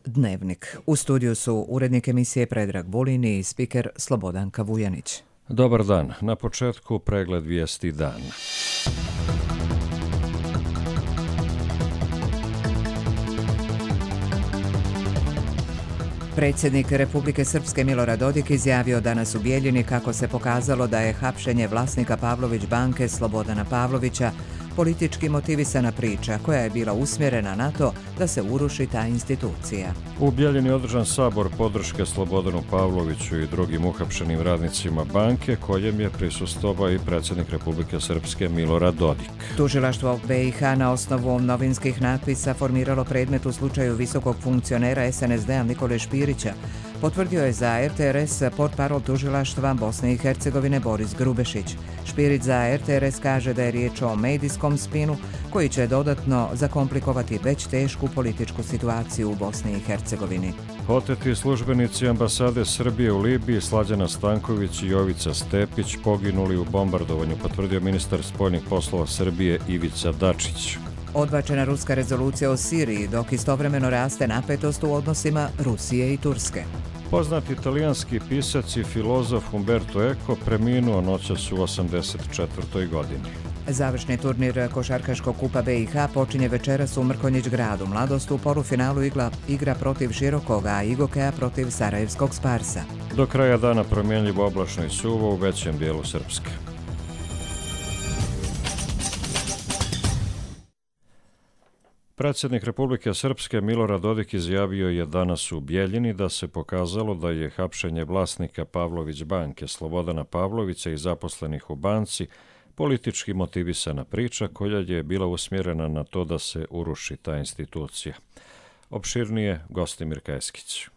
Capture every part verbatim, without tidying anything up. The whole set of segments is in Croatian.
Dnevnik. U studiju su urednik emisije Predrag Vulin i spiker Slobodanka Vujanić. Dobar dan. Na početku pregled vijesti dana. Predsjednik Republike Srpske Milorad Dodik izjavio danas u Bijeljini kako se pokazalo da je hapšenje vlasnika Pavlović banke Slobodana Pavlovića politički motivisana priča koja je bila usmjerena na to da se uruši ta institucija. U Bijeljini je održan sabor podrške Slobodanu Pavloviću i drugim uhapšenim radnicima banke, kojem je prisustvovao i predsjednik Republike Srpske Milorad Dodik. Tužilaštvo B i H na osnovu novinskih natpisa formiralo predmet u slučaju visokog funkcionera S N S D-a Nikole Špirića. Potvrdio je za R T R S portparol tužilaštva Bosne i Hercegovine Boris Grubešić. Špirić za R T R S kaže da je riječ o medijskom spinu koji će dodatno zakomplikovati već tešku političku situaciju u Bosni i Hercegovini. Oteti službenici ambasade Srbije u Libiji Slađana Stanković i Jovica Stepić poginuli u bombardovanju, potvrdio ministar spoljnih poslova Srbije Ivica Dačić. Odbačena ruska rezolucija o Siriji, dok istovremeno raste napetost u odnosima Rusije i Turske. Poznati italijanski pisac i filozof Umberto Eco preminuo noćas u osamdeset četvrtoj godini. Završni turnir košarkaškog kupa B i H počinje večeras u Mrkonjić gradu. Mladost u polufinalu igra, igra protiv Širokoga, a Igokeja protiv Sarajevskog Sparsa. Do kraja dana promjenljivo oblačno i suvo u većem dijelu Srpske. Predsjednik Republike Srpske Milorad Dodik izjavio je danas u Bijeljini da se pokazalo da je hapšenje vlasnika Pavlović banke Slobodana Pavlovića i zaposlenih u banci politički motivisana priča koja je bila usmjerena na to da se uruši ta institucija. Opširnije Gostimir Keskić.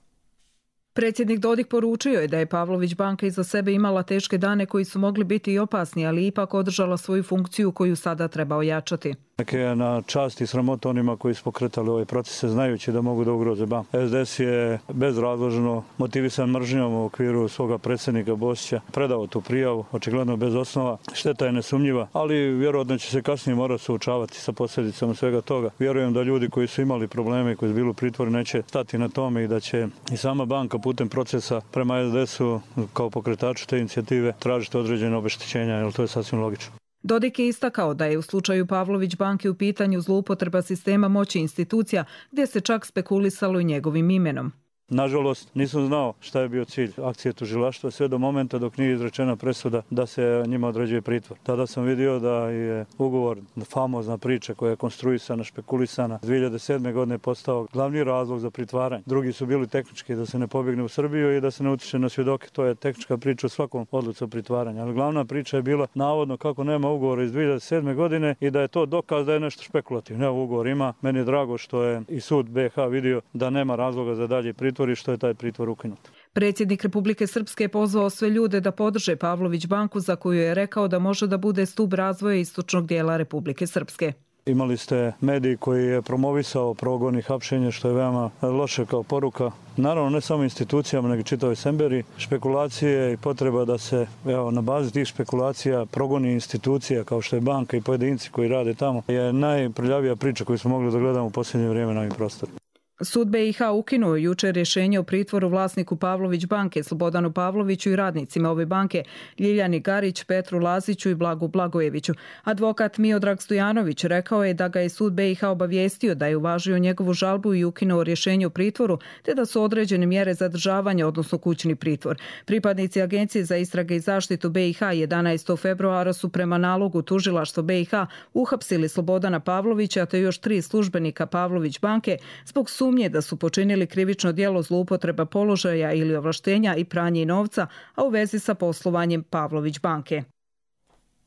Predsjednik Dodik poručio je da je Pavlović banka iza sebe imala teške dane koji su mogli biti i opasni, ali ipak održala svoju funkciju koju sada treba ojačati. Neke je na čast i sramota onima koji su pokretali ove procese znajući da mogu da ugroze banku. S D S je bezrazložno motivisan mržnjom u okviru svoga predsjednika Bosića predao tu prijavu, očigledno bez osnova. Šteta je nesumnjiva, ali vjerojatno će se kasnije morati suočavati sa posljedicama svega toga. Vjerujem da ljudi koji su imali probleme i koji su bili u pritvoru neće stati na tome i da će i sama banka putem procesa prema S D S-u kao pokretaču te inicijative tražiti određene obeštećenja, jer to je sasvim logično. Dodik je istakao da je u slučaju Pavlović banke u pitanju zloupotreba sistema moći institucija gdje se čak spekulisalo i njegovim imenom. Nažalost, nisam znao šta je bio cilj akcije tužilaštva sve do momenta dok nije izrečena presuda da se njima određuje pritvor. Tada sam vidio da je ugovor, famozna priča koja je konstruisana, špekulisana, dvije hiljade sedme godine postao glavni razlog za pritvaranje. Drugi su bili tehnički, da se ne pobjegne u Srbiju i da se ne utiče na svjedoke. To je tehnička priča u svakom odluci o pritvaranju. Ali glavna priča je bila navodno kako nema ugovora iz dvije hiljade sedme godine i da je to dokaz da je nešto špekulativno. Ne, ugovor ima. Meni je drago što je i sud B H vidio da nema razloga za dalje pritvor i što je taj pritvor ukinut. Predsjednik Republike Srpske je pozvao sve ljude da podrže Pavlović banku za koju je rekao da može da bude stub razvoja istočnog dijela Republike Srpske. Imali ste medij koji je promovisao progon i hapšenje, što je veoma loše kao poruka. Naravno, ne samo institucijama, nego čitavoj Semberi. Špekulacije i potreba da se evo, na bazi tih špekulacija progoni institucija kao što je banka i pojedinci koji rade tamo je najprljavija priča koju smo mogli da gledamo u posljednje vrijeme na ovim prostorima. Sud B i H ukinuo jučer rješenje o pritvoru vlasniku Pavlović banke Slobodanu Pavloviću i radnicima ove banke Ljiljani Garić, Petru Laziću i Blagu Blagojeviću. Advokat Miodrag Stojanović rekao je da ga je sud B i H obavijestio da je uvažio njegovu žalbu i ukinuo rješenje o pritvoru, te da su određene mjere zadržavanja, odnosno kućni pritvor. Pripadnici Agencije za istrage i zaštitu B i H jedanaestog februara su prema nalogu tužilaštva B i H uhapsili Slobodana Pavlovića te još tri službenika Pavlović banke zbog sumnje da su počinili krivično djelo zloupotreba položaja ili ovlaštenja i pranje novca, a u vezi sa poslovanjem Pavlović banke.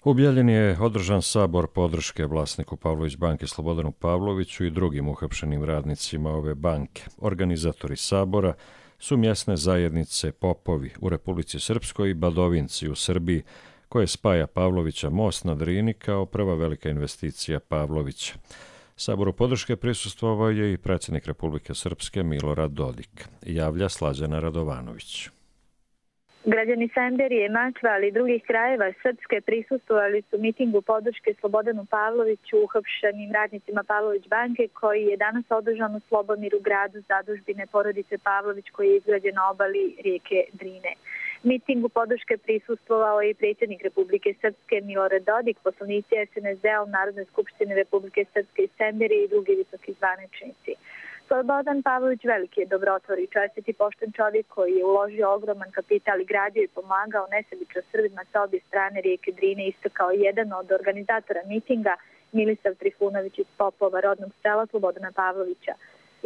U Bijeljini je održan sabor podrške vlasniku Pavlović banke Slobodanu Pavloviću i drugim uhapšenim radnicima ove banke. Organizatori sabora su mjesne zajednice Popovi u Republici Srpskoj i Badovinci u Srbiji, koje spaja Pavlovića most na Drini kao prva velika investicija Pavlovića. Saboru podrške prisustvovao je i predsjednik Republike Srpske Milorad Dodik. Javlja Slađana Radovanović. Građani Semberije, Mačva, ali i drugih krajeva Srpske prisustvovali su mitingu podrške Slobodanu Pavloviću, uhapšenim radnicima Pavlović banke, koji je danas održan u Slobomiru, gradu zadužbine porodice Pavlović, koji je izgrađen na obali rijeke Drine. Mitingu podrške prisustvovao je i predsjednik Republike Srpske Milorad Dodik, poslanici S N S D-a u Narodnoj skupštini Republike Srpske iz Semberije i drugi visoki zvaničnici. Slobodan Pavlović veliki je dobrotvor i čestit i pošten čovjek koji je uložio ogroman kapital i gradio i pomagao nesebično Srbima sa obje strane rijeke Drine, isto kao jedan od organizatora mitinga Milisav Trifunović iz Popova, rodnog sela Slobodana Pavlovića.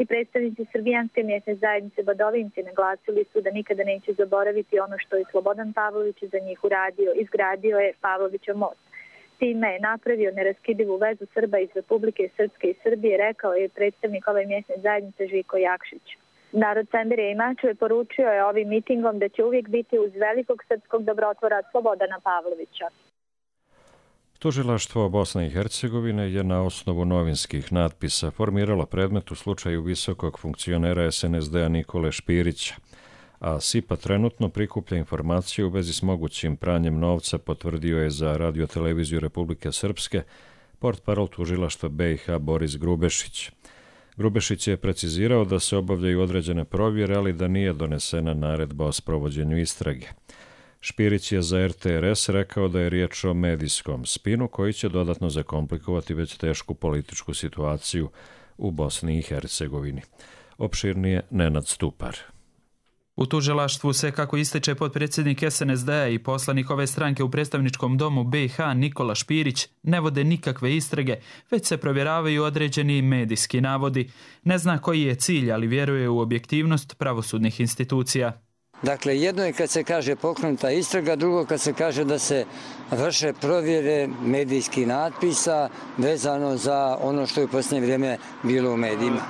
I predstavnici srbijanske mjesne zajednice Badovinci naglasili su da nikada neće zaboraviti ono što je Slobodan Pavlović za njih uradio. Izgradio je Pavlovićev most. Time je napravio neraskidivu vezu Srba iz Republike Srpske i Srbije, rekao je predstavnik ove mjesne zajednice Žiko Jakšić. Narod Semberije i Mačve poručio je ovim mitingom da će uvijek biti uz velikog srpskog dobrotvora Slobodana Pavlovića. Tužilaštvo Bosne i Hercegovine je na osnovu novinskih natpisa formiralo predmet u slučaju visokog funkcionera S N S D-a Nikole Špirića, a S I P A trenutno prikuplja informacije u vezi s mogućim pranjem novca, potvrdio je za radioteleviziju Republike Srpske portparol tužilaštva B i H Boris Grubešić. Grubešić je precizirao da se obavljaju određene provjere, ali da nije donesena naredba o sprovođenju istrage. Špirić je za R T R S rekao da je riječ o medijskom spinu koji će dodatno zakomplikovati već tešku političku situaciju u Bosni i Hercegovini. Opširnije Nenad Stupar. U tužilaštvu se, kako ističe potpredsjednik S N S D-a i poslanik ove stranke u predstavničkom domu B i H Nikola Špirić, ne vode nikakve istrage, već se provjeravaju određeni medijski navodi. Ne zna koji je cilj, ali vjeruje u objektivnost pravosudnih institucija. Dakle, jedno je kad se kaže pokrenuta istraga, drugo kad se kaže da se vrše provjere medijskih natpisa vezano za ono što je u posljednje vrijeme bilo u medijima.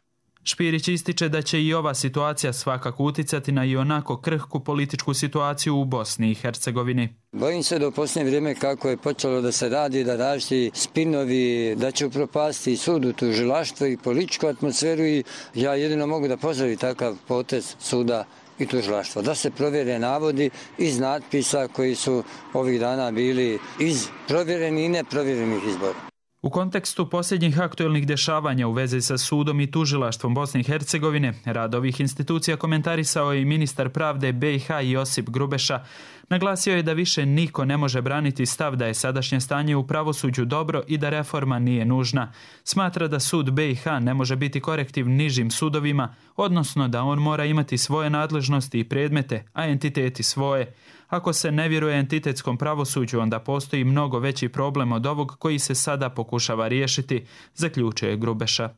Špirić ističe da će i ova situacija svakako uticati na i onako krhku političku situaciju u Bosni i Hercegovini. Bojim se da u posljednje vrijeme kako je počelo da se radi, da različiti spinovi, da će upropasti sud u tužilaštvo i političku atmosferu, i ja jedino mogu da pozdravim takav potez suda i tužilaštva, da se provjere navodi iz natpisa koji su ovih dana bili iz provjerenih i neprovjerenih izbora. U kontekstu posljednjih aktuelnih dešavanja u vezi sa sudom i tužilaštvom Bosne i Hercegovine, rad ovih institucija komentarisao je i ministar pravde B i H Josip Grubeša. Naglasio je da više niko ne može braniti stav da je sadašnje stanje u pravosuđu dobro i da reforma nije nužna. Smatra da sud B i H ne može biti korektiv nižim sudovima, odnosno da on mora imati svoje nadležnosti i predmete, a entiteti svoje. Ako se ne vjeruje entitetskom pravosuđu, onda postoji mnogo veći problem od ovog koji se sada pokušava riješiti, zaključuje Grubeša.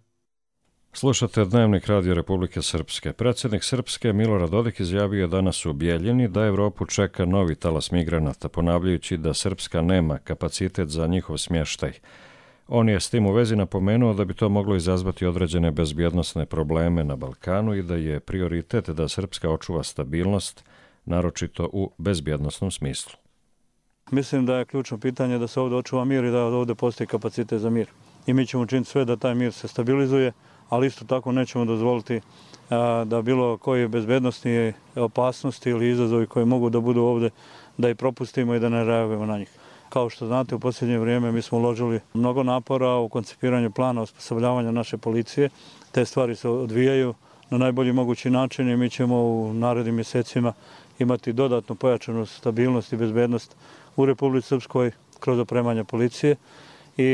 Slušate Dnevnik Radio Republike Srpske. Predsjednik Srpske Milorad Dodik izjavio danas u Bijeljini da Evropu čeka novi talas migranata, ponavljajući da Srpska nema kapacitet za njihov smještaj. On je s tim u vezi napomenuo da bi to moglo izazvati određene bezbjednosne probleme na Balkanu i da je prioritet da Srpska očuva stabilnost, naročito u bezbjednosnom smislu. Mislim da je ključno pitanje da se ovdje očuva mir i da ovdje postoji kapacitet za mir. I mi ćemo učiniti sve da taj mir se stabilizuje, ali isto tako nećemo dozvoliti da bilo koje bezbednostne opasnosti ili izazovi koji mogu da budu ovdje, da ih propustimo i da ne reagujemo na njih. Kao što znate, u posljednje vrijeme mi smo uložili mnogo napora u koncipiranju plana osposobljavanja naše policije. Te stvari se odvijaju na najbolji mogući način i mi ćemo u narednim mjesecima imati dodatnu pojačanu stabilnost i bezbednost u Republici Srpskoj kroz opremanje policije i,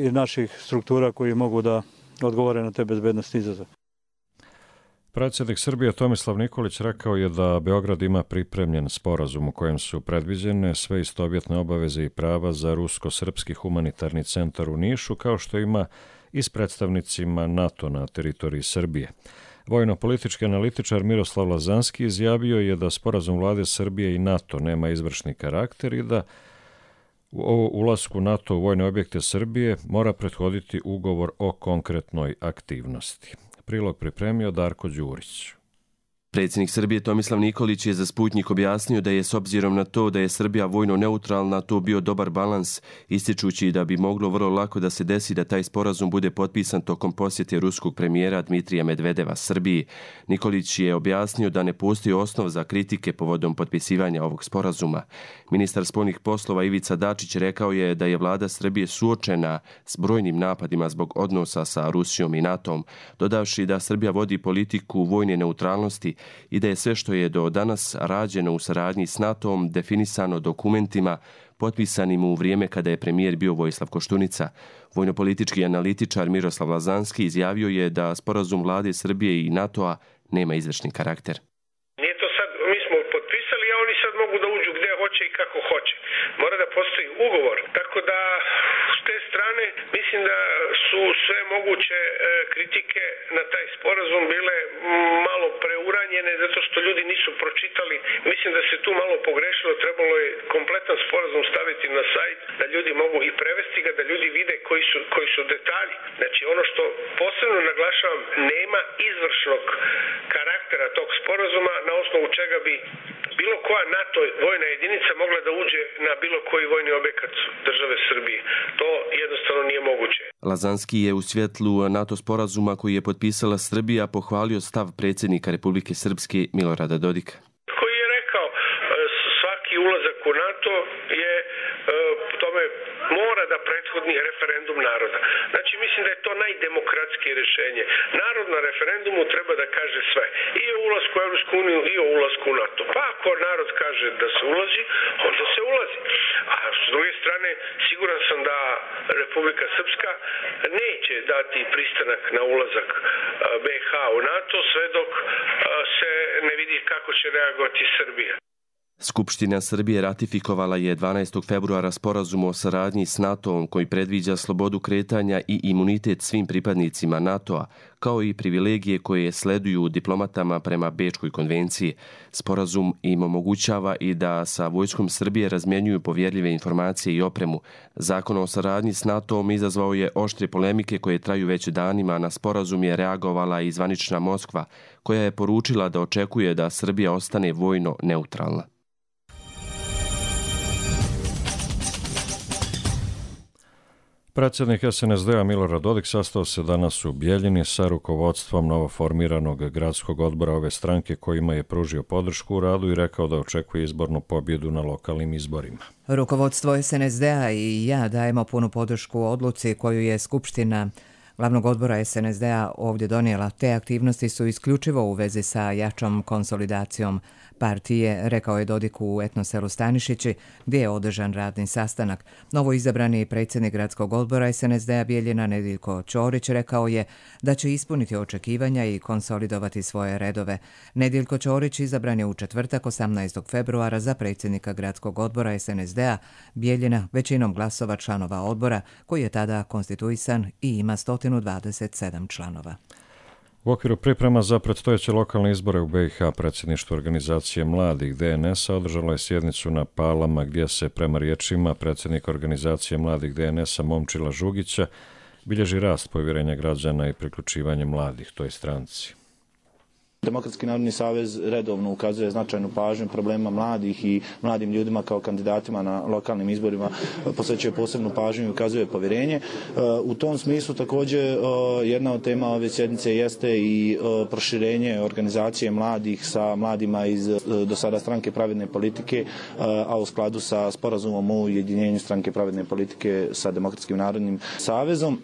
i naših struktura koji mogu da odgovore na te bezbednosti izazove. Predsjednik Srbije Tomislav Nikolić rekao je da Beograd ima pripremljen sporazum u kojem su predviđene sve istovjetne obaveze i prava za rusko-srpski humanitarni centar u Nišu, kao što ima i s predstavnicima NATO na teritoriji Srbije. Vojno-politički analitičar Miroslav Lazanski izjavio je da sporazum vlade Srbije i NATO nema izvršni karakter i da o ulasku NATO u vojne objekte Srbije mora prethoditi ugovor o konkretnoj aktivnosti. Prilog pripremio Darko Đurić. Predsjednik Srbije Tomislav Nikolić je za Sputnjik objasnio da je s obzirom na to da je Srbija vojno neutralna to bio dobar balans, ističući da bi moglo vrlo lako da se desi da taj sporazum bude potpisan tokom posjete ruskog premijera Dmitrija Medvedeva Srbiji. Nikolić je objasnio da ne postoji osnov za kritike povodom potpisivanja ovog sporazuma. Ministar spoljnih poslova Ivica Dačić rekao je da je vlada Srbije suočena s brojnim napadima zbog odnosa sa Rusijom i NATO-om, dodavši da Srbija vodi politiku vojne neutralnosti i da je sve što je do danas rađeno u saradnji s NATO-om definisano dokumentima potpisanim u vrijeme kada je premijer bio Vojislav Koštunica. Vojnopolitički analitičar Miroslav Lazanski izjavio je da sporazum vlade Srbije i NATO-a nema izvršni karakter. Nije to sad, mi smo potpisali, a oni sad mogu da uđu gdje hoće i kako hoće. Mora da postoji ugovor. Tako da s te strane mislim da su sve moguće e, kritike na taj sporazum bile malo preuranjene zato što ljudi nisu pročitali. Mislim da se tu malo pogrešilo, trebalo je kompletan sporazum staviti na sajt da ljudi mogu i prevesti ga, da ljudi vide koji su, koji su detalji. Znači ono što posebno naglašavam, nema izvršnog karaktera tog sporazuma na osnovu čega bi bilo koja NATO vojna jedinica mogla da uđe na bilo koji vojni objekat države Srbije. To jednostavno nije moguće. Lazanski je u svjetlu NATO sporazuma koji je potpisala Srbija pohvalio stav predsjednika Republike Srpske Milorada Dodika. Koji je rekao svaki ulazak u NATO je tome mora da prethodni referendum naroda. Znači mislim da je to najdemokratskije rješenje. Narod na referendumu treba da kaže sve. I o ulasku u Europsku uniju i o ulasku u NATO. Pa ako narod kaže da se ulazi, onda se ulazi. A s druge strane, siguran sam da Republika Srpska neće dati pristanak na ulazak B iH u NATO sve dok se ne vidi kako će reagovati Srbija. Skupština Srbije ratifikovala je dvanaestog februara sporazum o saradnji s NATO-om koji predviđa slobodu kretanja i imunitet svim pripadnicima NATO-a, kao i privilegije koje sleduju diplomatama prema Bečkoj konvenciji. Sporazum im omogućava i da sa vojskom Srbije razmjenjuju povjerljive informacije i opremu. Zakon o saradnji s NATO-om izazvao je oštre polemike koje traju već danima. Na sporazum je reagovala i zvanična Moskva, koja je poručila da očekuje da Srbija ostane vojno neutralna. Predsjednik S N S D-a Milorad Dodik sastao se danas u Bijeljini sa rukovodstvom novoformiranog gradskog odbora ove stranke kojima je pružio podršku u radu i rekao da očekuje izbornu pobjedu na lokalnim izborima. Rukovodstvo S N S D-a i ja dajemo punu podršku odluci koju je Skupština Glavnog odbora S N S D-a ovdje donijela. Te aktivnosti su isključivo u vezi sa jačom konsolidacijom partije, rekao je Dodik u etnoselu Stanišići, gdje je održan radni sastanak. Novo izabrani predsjednik gradskog odbora S N S D-a Bijeljina Nediljko Ćorić rekao je da će ispuniti očekivanja i konsolidovati svoje redove. Nediljko Ćorić izabran je u četvrtak osamnaestog februara za predsjednika gradskog odbora S N S D-a Bijeljina većinom glasova članova odbora, koji je tada konstituisan i ima sto dvadeset sedam članova. U okviru priprema za predstojeće lokalne izbore u B iH predsjedništvo organizacije mladih D N S-a održalo je sjednicu na Palama gdje se prema riječima predsjednika organizacije mladih D N S-a Momčila Žugića bilježi rast povjerenja građana i priključivanje mladih toj stranci. Demokratski narodni savez redovno ukazuje značajnu pažnju problema mladih i mladim ljudima kao kandidatima na lokalnim izborima, posvećuje posebnu pažnju i ukazuje povjerenje. U tom smislu također jedna od tema ove sjednice jeste i proširenje organizacije mladih sa mladima iz do sada Stranke pravedne politike, a u skladu sa sporazumom o ujedinjenju Stranke pravedne politike sa Demokratskim narodnim savezom.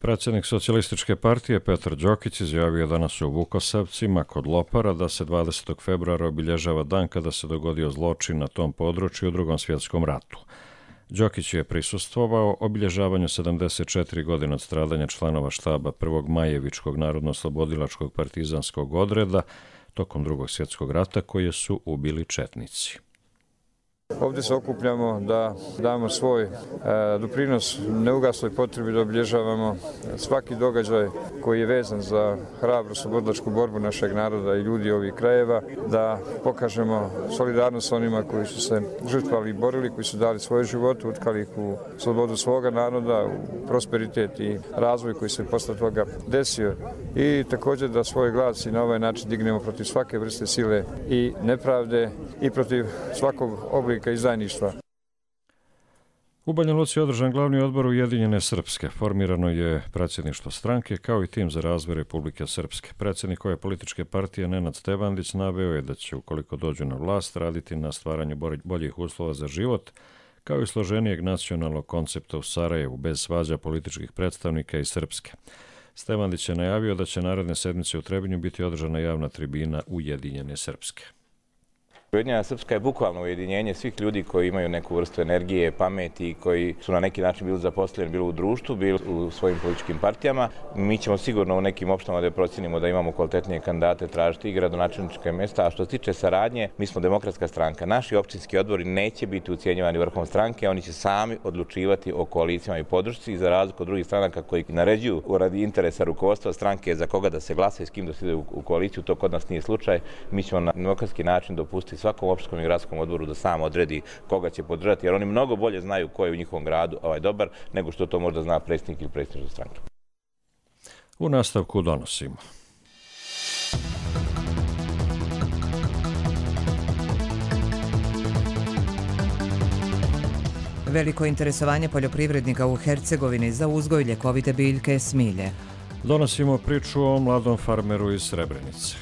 Predsjednik Socijalističke partije Petar Đokić izjavio danas u Vukosavcima kod Lopara da se dvadesetog februara obilježava dan kada se dogodio zločin na tom području u Drugom svjetskom ratu. Đokić je prisustvovao obilježavanju sedamdeset četiri godine od stradanja članova štaba prvog Majevičkog narodno-slobodilačkog partizanskog odreda tokom Drugog svjetskog rata koje su ubili četnici. Ovdje se okupljamo da damo svoj e, doprinos neugasloj potrebi da obilježavamo svaki događaj koji je vezan za hrabru slobodilačku borbu našeg naroda i ljudi ovih krajeva, da pokažemo solidarnost onima koji su se žrtvovali i borili, koji su dali svoje živote, utkali ih u slobodu svoga naroda, u prosperitet i razvoj koji se posle toga desio. I također da svoj glas i na ovaj način dignemo protiv svake vrste sile i nepravde i protiv svakog oblika izdajništva. U Banja Luci je održan glavni odbor Ujedinjene Srpske. Formirano je predsjedništvo stranke kao i tim za razvoj Republike Srpske. Predsjednik ove političke partije Nenad Stevandić naveo je da će, ukoliko dođu na vlast, raditi na stvaranju boljih uslova za život, kao i složenijeg nacionalnog koncepta u Sarajevu, bez svađa političkih predstavnika iz Srpske. Stevandić je najavio da će naredne sedmice u Trebinju biti održana javna tribina Ujedinjene Srpske. Ujedinjena Srpska je bukvalno ujedinjenje svih ljudi koji imaju neku vrstu energije, pameti, koji su na neki način bili zaposleni, bili u društvu, bili u svojim političkim partijama. Mi ćemo sigurno u nekim opštinama da procenimo da imamo kvalitetnije kandidate, tražiti i gradonačelnička mjesta, a što se tiče saradnje, mi smo demokratska stranka. Naši općinski odbori neće biti ucijenjivani vrhom stranke, oni će sami odlučivati o koalicijama i podršci, i za razliku od drugih stranaka koji naređuju radi interesa rukovodstva stranke za koga da se glasa i s kim da se ide u koaliciju, to kod nas nije slučaj. Mi ćemo na demokratski način dopustiti svakom opštinskom i gradskom odboru da sam odredi koga će podržati, jer oni mnogo bolje znaju ko je u njihovom gradu ovaj dobar, nego što to možda zna predsjednik ili predsjednik stranke. U nastavku donosimo. Veliko interesovanje poljoprivrednika u Hercegovini za uzgoj ljekovite biljke smilje. Donosimo priču o mladom farmeru iz Srebrenice.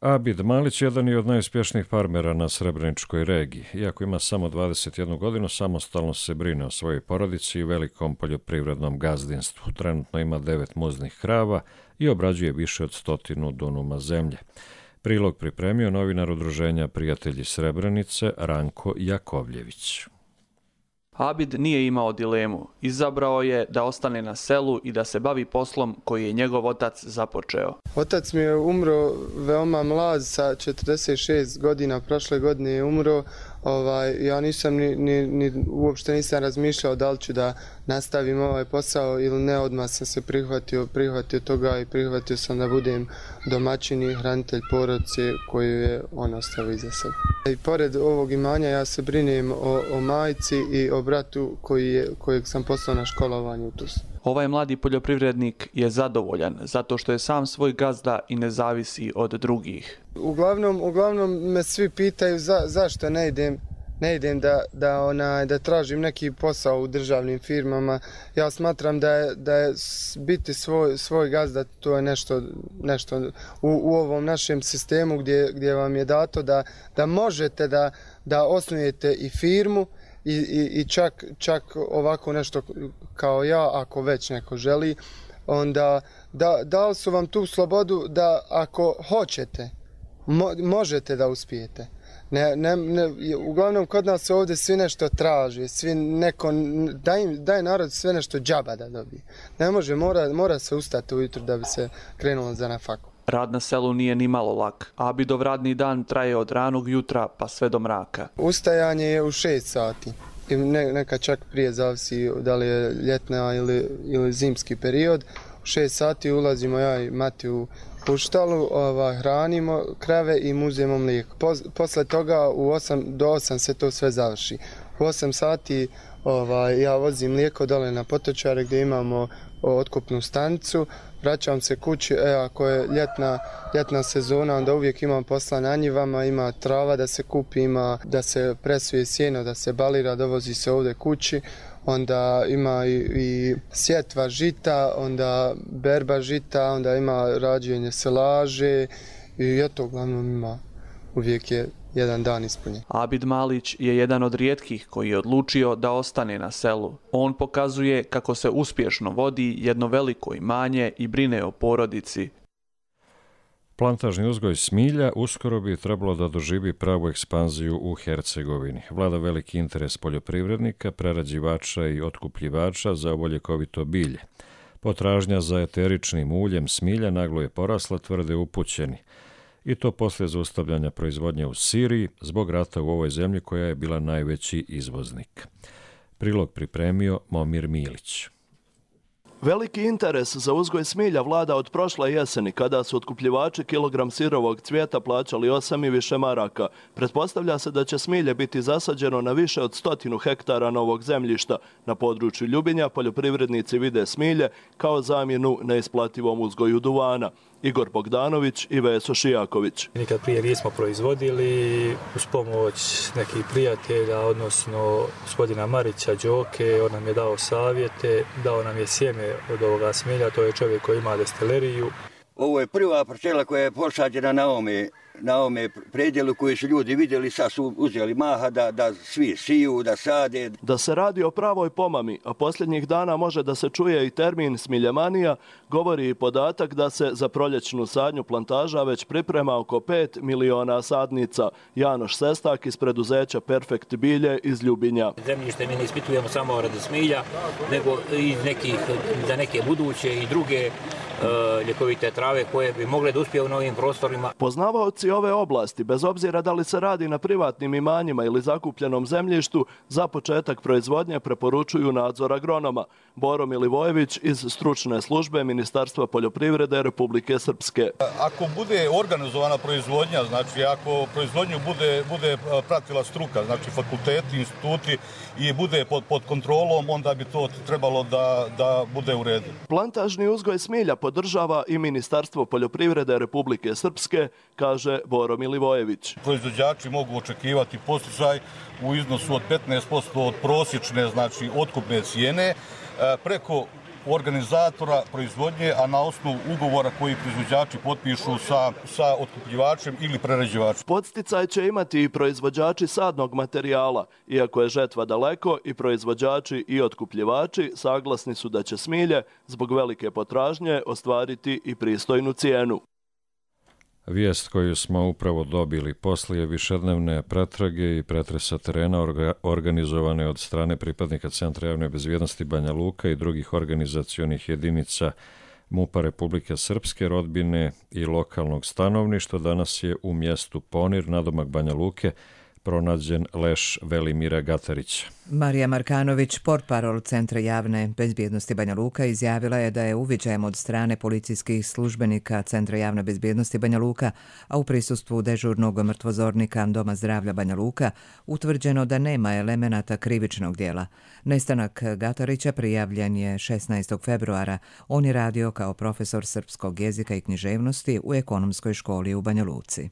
Abid Malić jedan je od najuspješnijih farmera na Srebreničkoj regiji. Iako ima samo dvadeset jednu godinu, samostalno se brine o svojoj porodici i velikom poljoprivrednom gazdinstvu. Trenutno ima devet muznih krava i obrađuje više od stotinu dunuma zemlje. Prilog pripremio novinar udruženja Prijatelji Srebrenice Ranko Jakovljević. Abid nije imao dilemu. Izabrao je da ostane na selu i da se bavi poslom koji je njegov otac započeo. Otac mi je umro veoma mlad, sa četrdeset šest godina, prošle godine je umro. Ovaj, ja nisam ni, ni, ni, uopšte nisam razmišljao da li ću da nastavim ovaj posao ili ne, odmah sam se prihvatio, prihvatio toga i prihvatio sam da budem domaćin i hranitelj porodice koju je on ostavio iza sebe. I pored ovog imanja ja se brinem o, o majci i o bratu koji je, kojeg sam poslao na školovanje u Tuzlu. Ovaj mladi poljoprivrednik je zadovoljan zato što je sam svoj gazda i ne zavisi od drugih. Uglavnom, uglavnom me svi pitaju za, zašto ne idem, ne idem da, da, ona, da tražim neki posao u državnim firmama. Ja smatram da je, da je biti svoj, svoj gazda, to je nešto, nešto u, u ovom našem sistemu gdje, gdje vam je dato da, da možete da, da osnujete i firmu, I, i, i čak, čak ovako nešto kao ja, ako već neko želi, onda da, dali su vam tu slobodu da ako hoćete, mo, možete da uspijete. Ne, ne, ne, uglavnom kod nas ovdje svi nešto traži, svi neko, daj, daj narod sve nešto džaba da dobije. Ne može, mora, mora se ustati ujutro da bi se krenulo za na faku. Rad na selu nije ni malo lak. Abidov radni dan traje od ranog jutra pa sve do mraka. Ustajanje je u šest sati. I ne, neka čak prije zavisi da li je ljetna ili, ili zimski period. U šest sati ulazimo ja i Mati u puštalu, ovaj, hranimo krave i muzemo mlijeko. Pos, posle toga u osam do osam se to sve završi. U osam sati ovaj, ja vozim mlijeko dole na potočare gdje imamo otkupnu stanicu. Vraćam se kući, e, ako je ljetna, ljetna sezona, onda uvijek imam posla na njivama, ima trava da se kupi, ima da se presuje sjeno, da se balira, dovozi se ovdje kući, onda ima i, i sjetva žita, onda berba žita, onda ima rađenje selaže i eto, uglavnom ima, uvijek je jedan dan ispunjen. Abid Malić je jedan od rijetkih koji je odlučio da ostane na selu. On pokazuje kako se uspješno vodi jedno veliko imanje i brine o porodici. Plantažni uzgoj smilja uskoro bi trebalo da doživi pravu ekspanziju u Hercegovini. Vlada veliki interes poljoprivrednika, prerađivača i otkupljivača za ovo ljekovito bilje. Potražnja za eteričnim uljem smilja naglo je porasla, tvrde upućeni. i to poslije zaustavljanja proizvodnje u Siriji zbog rata u ovoj zemlji koja je bila najveći izvoznik. Prilog pripremio Momir Milić. Veliki interes za uzgoj smilja vlada od prošle jeseni, kada su otkupljivači kilogram sirovog cvijeta plaćali osam i više maraka. Pretpostavlja se da će smilje biti zasađeno na više od stotinu hektara novog zemljišta. Na području Ljubinja poljoprivrednici vide smilje kao zamjenu neisplativom uzgoju duvana. Igor Bogdanović i Veso Šijaković. Nikad prije nismo proizvodili, uz pomoć nekih prijatelja, odnosno gospodina Marića Đoke, on nam je dao savjete, dao nam je sjeme od ovoga smilja, to je čovjek koji ima destileriju. Ovo je prva parcela koja je posađena na ovome, na ovome predjelu koji su ljudi vidjeli, sad su uzeli maha da, da svi siju, da sade. Da se radi o pravoj pomami, a posljednjih dana može da se čuje i termin smiljemanija, govori i podatak da se za proljećnu sadnju plantaža već priprema oko pet miliona sadnica. Janoš Sestak iz preduzeća Perfekt bilje iz Ljubinja. Zemljište mi ne ispitujemo samo radi smilja, nego i nekih, za neke buduće i druge uh, ljekovite trave koje bi mogle da uspije u novim prostorima. Poznavaoci ove oblasti, bez obzira da li se radi na privatnim imanjima ili zakupljenom zemljištu, za početak proizvodnje preporučuju nadzor agronoma. Boro Milivojević iz stručne službe Ministarstva poljoprivrede Republike Srpske. Ako bude organizovana proizvodnja, znači ako proizvodnju bude, bude pratila struka, znači fakulteti, instituti i bude pod, pod kontrolom, onda bi to trebalo da, da bude u redu. Plantažni uzgoj smilja podržava i Ministarstvo poljoprivrede Republike Srpske, kaže Boro Milivojević. Proizvođači mogu očekivati podsticaj u iznosu od petnaest posto od prosječne, znači otkupne cijene, preko organizatora proizvodnje, a na osnovu ugovora koji proizvođači potpišu sa, sa otkupljivačem ili prerađivačem. Podsticaj će imati i proizvođači sadnog materijala. Iako je žetva daleko, i proizvođači i otkupljivači saglasni su da će smilje zbog velike potražnje ostvariti i pristojnu cijenu. Vijest koju smo upravo dobili poslije višednevne pretrage i pretresa terena orga, organizovane od strane pripadnika Centra javne bezbjednosti Banja Luka i drugih organizacionih jedinica MUP-a Republike Srpske, rodbine i lokalnog stanovništva, danas je u mjestu Ponir, nadomak Banja Luke, pronađen leš Velimira Gatarića. Marija Markanović, portparol Centra javne bezbjednosti Banja Luka, izjavila je da je uviđajem od strane policijskih službenika Centra javne bezbjednosti Banja Luka, a u prisustvu dežurnog mrtvozornika Doma zdravlja Banja Luka, utvrđeno da nema elemenata krivičnog dijela. Nestanak Gatarića prijavljen je šesnaestog februara. On je radio kao profesor srpskog jezika i književnosti u ekonomskoj školi u Banja Luci.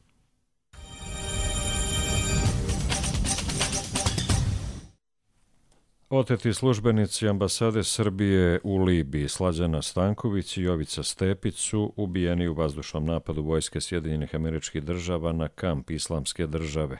Oteti službenici ambasade Srbije u Libiji, Slađana Stanković i Jovica Stepić, su ubijeni u vazdušnom napadu vojske Sjedinjenih Američkih Država na kamp Islamske države,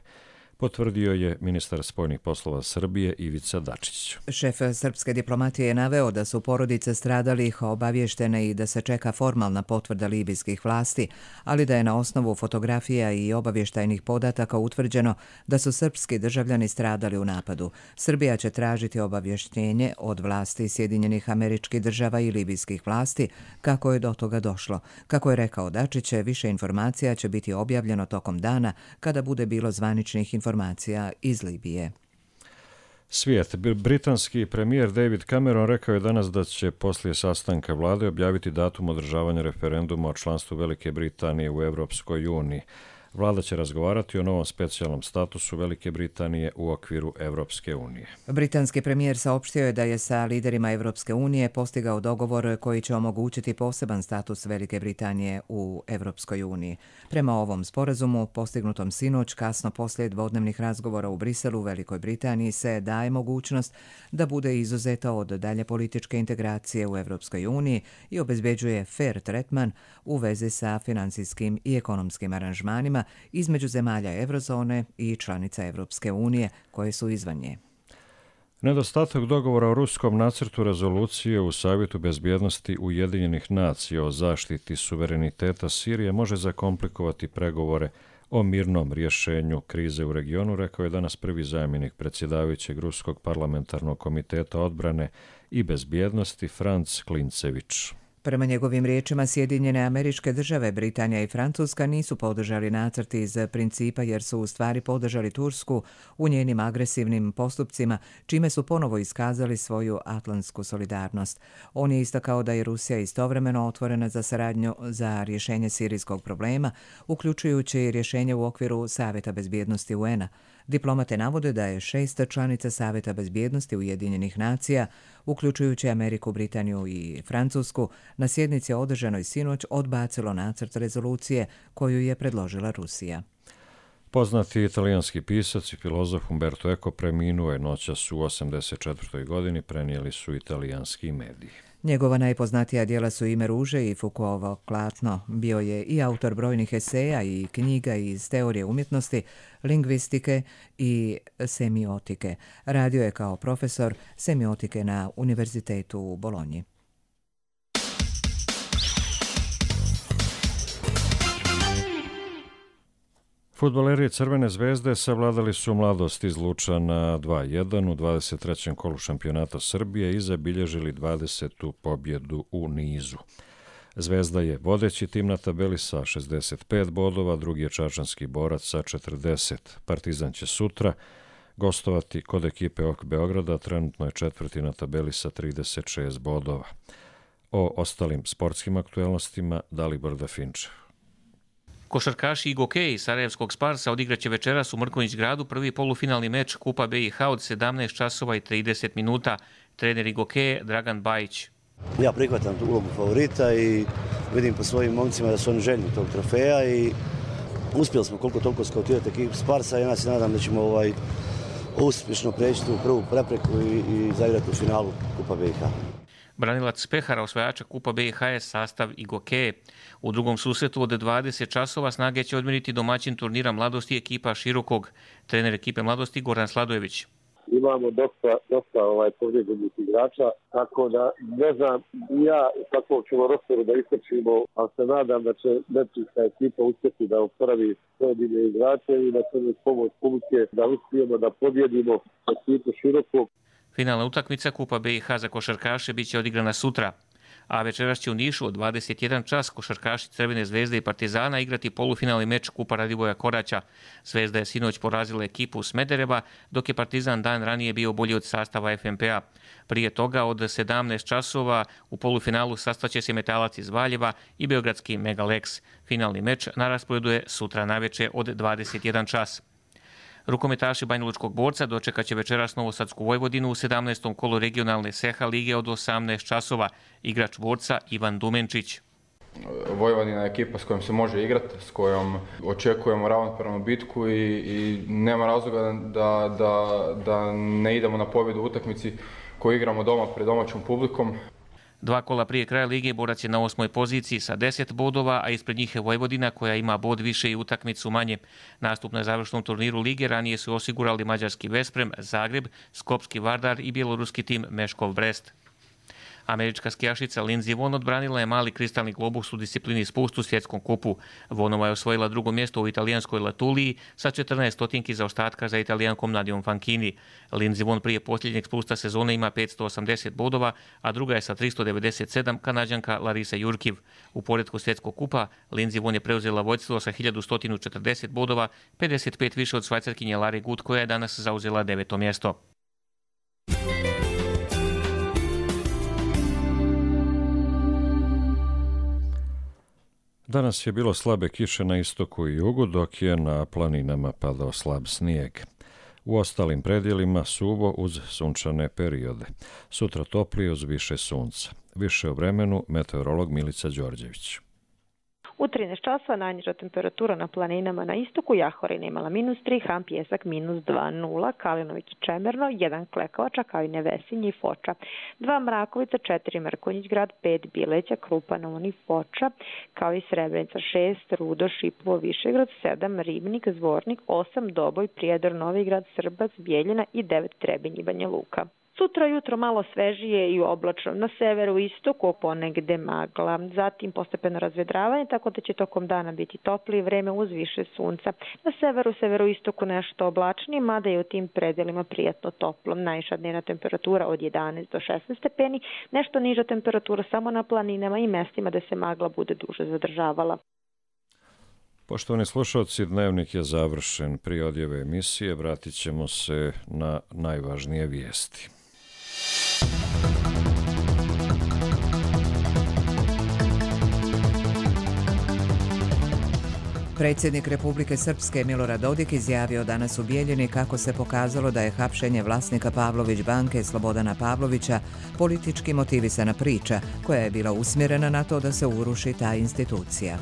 potvrdio je ministar spoljnih poslova Srbije Ivica Dačić. Šef srpske diplomatije je naveo da su porodice stradalih obavještene i da se čeka formalna potvrda libijskih vlasti, ali da je na osnovu fotografija i obavještajnih podataka utvrđeno da su srpski državljani stradali u napadu. Srbija će tražiti obavještenje od vlasti Sjedinjenih Američkih Država i libijskih vlasti kako je do toga došlo. Kako je rekao Dačić, više informacija će biti objavljeno tokom dana kada bude bilo zvaničnih informacija informacija iz Libije. Svijet. Britanski premijer David Cameron rekao je danas da će poslije sastanka vlade objaviti datum održavanja referenduma o članstvu Velike Britanije u Evropskoj uniji. Vlada će razgovarati o novom specijalnom statusu Velike Britanije u okviru Evropske unije. Britanski premijer saopštio je da je sa liderima Evropske unije postigao dogovor koji će omogućiti poseban status Velike Britanije u Evropskoj uniji. Prema ovom sporazumu, postignutom sinoć, kasno poslije dvodnevnih razgovora u Briselu, Velikoj Britaniji se daje mogućnost da bude izuzeta od dalje političke integracije u Evropskoj uniji i obezbeđuje fair tretman u vezi sa financijskim i ekonomskim aranžmanima između zemalja Eurozone i članica Evropske unije koje su izvan nje. Nedostatak dogovora o ruskom nacrtu rezolucije u Savjetu bezbjednosti Ujedinjenih nacija o zaštiti suvereniteta Sirije može zakomplikovati pregovore o mirnom rješenju krize u regionu, rekao je danas prvi zamjenik predsjedavajućeg Ruskog parlamentarnog komiteta odbrane i bezbjednosti Franc Klincević. Prema njegovim riječima, Sjedinjene Američke Države, Britanija i Francuska nisu podržali nacrt iz principa jer su u stvari podržali Tursku u njenim agresivnim postupcima, čime su ponovo iskazali svoju atlantsku solidarnost. On je istakao da je Rusija istovremeno otvorena za saradnju za rješenje sirijskog problema, uključujući i rješenje u okviru Savjeta bezbjednosti U N A. Diplomate navode da je šest članica Savjeta bezbjednosti Ujedinjenih nacija, uključujući Ameriku, Britaniju i Francusku, na sjednici održanoj sinoć odbacilo nacrt rezolucije koju je predložila Rusija. Poznati italijanski pisac i filozof Umberto Eco preminuo je noćas u osamdeset četvrtoj godini, prenijeli su italijanski mediji. Njegova najpoznatija djela su Ime ruže i Foucaultovo Klatno. Bio je i autor brojnih eseja i knjiga iz teorije umjetnosti, lingvistike i semiotike. Radio je kao profesor semiotike na Univerzitetu u Bolonji. Fudbaleri Crvene zvezde savladali su Mladost iz Luča na dva jedan u dvadeset trećem kolu šampionata Srbije i zabilježili dvadesetu pobjedu u nizu. Zvezda je vodeći tim na tabeli sa šezdeset pet bodova, drugi je Čačanski Borac sa četrdeset. Partizan će sutra gostovati kod ekipe O K Beograda, trenutno je četvrti na tabeli sa trideset šest bodova. O ostalim sportskim aktuelnostima Dalibor Dafinčev. Košarkaši Igoke iz Sarajevskog Sparsa odigraće večeras u Mrkonjić gradu prvi polufinalni meč Kupa B i H od sedamnaest časova i trideset minuta. Trener Igoke Dragan Bajić. Ja prihvatam tu ulogu favorita i vidim po svojim momcima da su oni željni tog trofeja i uspjeli smo koliko toliko skautirati ekipu Sparsa i ja se nadam da ćemo ovaj uspješno preći tu prvu prepreku i, i zaigrati u finalu Kupa B i H. Branilac Pehara, osvajača Kupa B i H je sastav Igoke. U drugom susretu od dvadeset časova Snage će odmjeriti domaćin turnira Mladosti ekipa Širokog. Trener ekipe Mladosti Goran Sladojević. Imamo dosta, dosta ovaj, povrijeđenih igrača, tako da ne znam ja kakvog ćemo rosteru da istrčimo, ali se nadam da će Nepčinska ekipa uspjeti da oporavi pojedine igrače i da će uz pomoć publike da uspijemo da pobjedimo ekipu Širokog. Finalna utakmica Kupa B i H za košarkaše bit će odigrana sutra, a večeras će u Nišu od dvadeset jedan čas košarkaši Crvene zvezde i Partizana igrati polufinalni meč Kupa Radivoja Koraća. Zvezda je sinoć porazila ekipu Smedereva, dok je Partizan dan ranije bio bolji od sastava F M P A. Prije toga od sedamnaest časova u polufinalu sastaće se Metalac iz Valjeva i beogradski Megalex. Finalni meč na rasporedu je sutra navečer od dvadeset jedan čas. Rukometaši Banjalučkog Borca dočekat će večeras Novosadsku Vojvodinu u sedamnaestom kolu regionalne Seha lige od osamnaest časova. Igrač Borca Ivan Dumenčić. Vojvodina je ekipa s kojom se može igrati, s kojom očekujemo ravnopravnu bitku i, i nema razloga da, da, da ne idemo na pobjedu u utakmici koju igramo doma pred domaćom publikom. Dva kola prije kraja lige Borac je na osmoj poziciji sa deset bodova, a ispred njih je Vojvodina koja ima bod više i utakmicu manje. Nastup na završnom turniru lige ranije su osigurali mađarski Vesprem, Zagreb, skopski Vardar i bjeloruski tim Meškov Brest. Američka skijašica Lindsey Vonn odbranila je mali kristalni globus u disciplini spust u svjetskom kupu. Vonova je osvojila drugo mjesto u italijanskoj Latuliji sa četrnaest stotinki zaostatka za Italijankom Nadijom Fanchini. Lindsey Vonn prije posljednjeg spusta sezone ima petsto osamdeset bodova, a druga je sa tristo devedeset sedam Kanađanka Larisa Jurkiv. U poretku svjetskog kupa Lindsey Vonn je preuzela vodstvo sa hiljadu sto četrdeset bodova, pedeset pet više od Švajcarkinje Lare Gut koja je danas zauzela deveto mjesto. Danas je bilo slabe kiše na istoku i jugu, dok je na planinama padao slab snijeg. U ostalim predjelima suvo uz sunčane periode. Sutra toplije uz više sunca. Više o vremenu meteorolog Milica Đorđević. U trinaest časova najniža temperatura na planinama na istoku, Jahorin imala minus tri, Hram Pjesak minus dva, nula, Kalinović Čemerno, jedan Klekovača kao i Nevesinje i Foča, dva Mrakovica, četiri Mrkonjić grad, pet Bileća, Krupa, Novoni, Foča, kao i Srebrenica, šest Rudo, Šipovo, Višegrad, sedam Ribnik, Zvornik, osam Doboj, Prijedor, Novi grad, Srbac, Bijeljina i devet Trebinj i Banja Luka. Sutra jutro malo svežije i oblačno. Na severu i istoku ponegde magla. Zatim postepeno razvedravanje, tako da će tokom dana biti toplije vreme uz više sunca. Na severu, severoistoku nešto oblačnije, mada je u tim predelima prijatno toplo. Najviša dnevna temperatura od jedanaest do šesnaest stepeni, nešto niža temperatura samo na planinama i mestima da se magla bude duže zadržavala. Poštovani slušalci, dnevnik je završen. Prije odjave emisije vratit ćemo se na najvažnije vijesti. Predsjednik Republike Srpske Milorad Dodik izjavio danas u Bijeljini kako se pokazalo da je hapšenje vlasnika Pavlović banke Slobodana Pavlovića politički motivisana priča koja je bila usmjerena na to da se uruši ta institucija.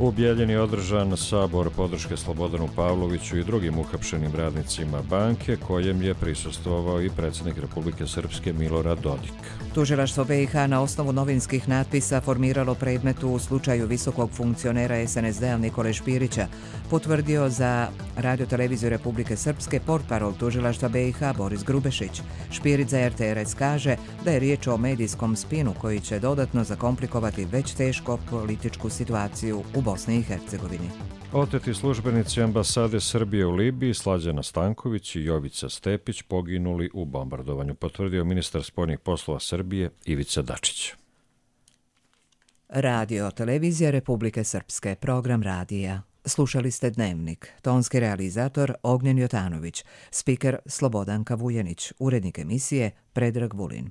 U Bijeljini je održan sabor podrške Slobodanu Pavloviću i drugim uhapšenim radnicima banke, kojem je prisustvovao i predsjednik Republike Srpske Milorad Dodik. Tužilaštvo B i H na osnovu novinskih natpisa formiralo predmet u slučaju visokog funkcionera S N S D-a Nikole Špirića, potvrdio za radioteleviziju Republike Srpske portparol tužilaštva B i H Boris Grubešić. Špirić za R T R S kaže da je riječ o medijskom spinu koji će dodatno zakomplikovati već teško političku situaciju u Bosni i Hercegovini. Oteti službenici ambasade Srbije u Libiji Slađana Stanković i Jovica Stepić poginuli u bombardovanju, potvrdio ministar spoljnih poslova Srbije Ivica Dačić. Radio televizija Republike Srpske, program radija. Slušali ste Dnevnik, tonski realizator Ognjen Jotanović, spiker Slobodanka Vujenić, urednik emisije Predrag Vulin.